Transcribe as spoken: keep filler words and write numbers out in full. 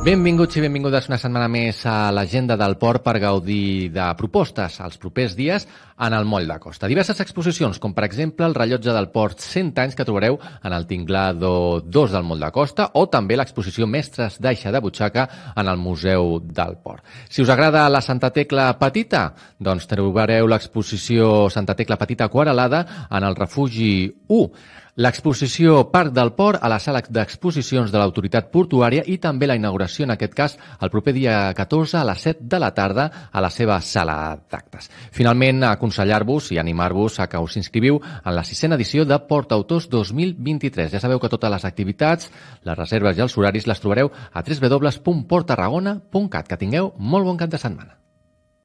Benvinguts i benvingudes una setmana més a l'agenda del port per gaudir de propostes els propers dies en el moll de costa. Diverses exposicions, com per exemple el rellotge del port cent anys que trobareu en el Tinglado dos del moll de costa o també l'exposició Mestres d'Aixa de Butxaca en el Museu del Port. Si us agrada la Santa Tecla Petita, doncs trobareu l'exposició Santa Tecla Petita Aquarelada en el Refugi u. L'exposició Parc del Port a la sala d'exposicions de l'autoritat portuària i també la inauguració, en aquest cas, el proper dia catorze a les set de la tarda a la seva sala d'actes. Finalment, aconsellar-vos i animar-vos a que us inscriviu en la sisena edició de Port Autors dos mil vint-i-tres. Ja sabeu que totes les activitats, les reserves i els horaris les trobareu a w w w punt port tarragona punt cat. Que tingueu molt bon cap de setmana.